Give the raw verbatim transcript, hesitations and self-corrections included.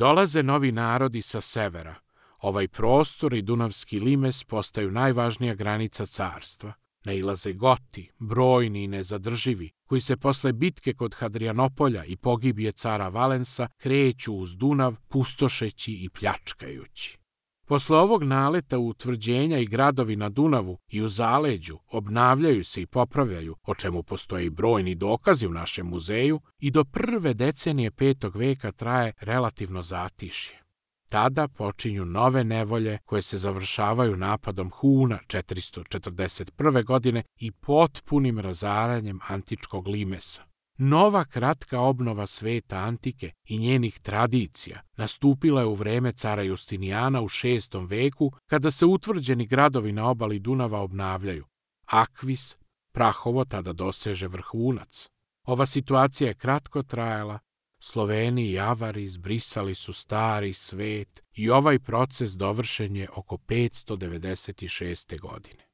Dolaze novi narodi sa severa. Ovaj prostor i Dunavski limes postaju najvažnija granica carstva. Nailaze Goti, brojni i nezadrživi, koji se posle bitke kod Hadrianopolja i pogibije cara Valensa kreću uz Dunav, pustošeći i pljačkajući. Posle ovog naleta utvrđenja i gradovi na Dunavu i u zaleđu obnavljaju se i popravljaju, o čemu postoje i brojni dokazi u našem muzeju, i do prve decenije petog veka traje relativno zatišje. Tada počinju nove nevolje koje se završavaju napadom Huna četiristo četrdeset prve. godine i potpunim razaranjem antičkog limesa. Nova kratka obnova sveta antike i njenih tradicija nastupila je u vreme cara Justinijana u šestom veku, kada se utvrđeni gradovi na obali Dunava obnavljaju. Akvis, Prahovo, tada doseže vrhunac. Ova situacija je kratko trajala. Sloveni i Avari izbrisali su stari svet i ovaj proces dovršen je oko petsto devedeset šeste. godine.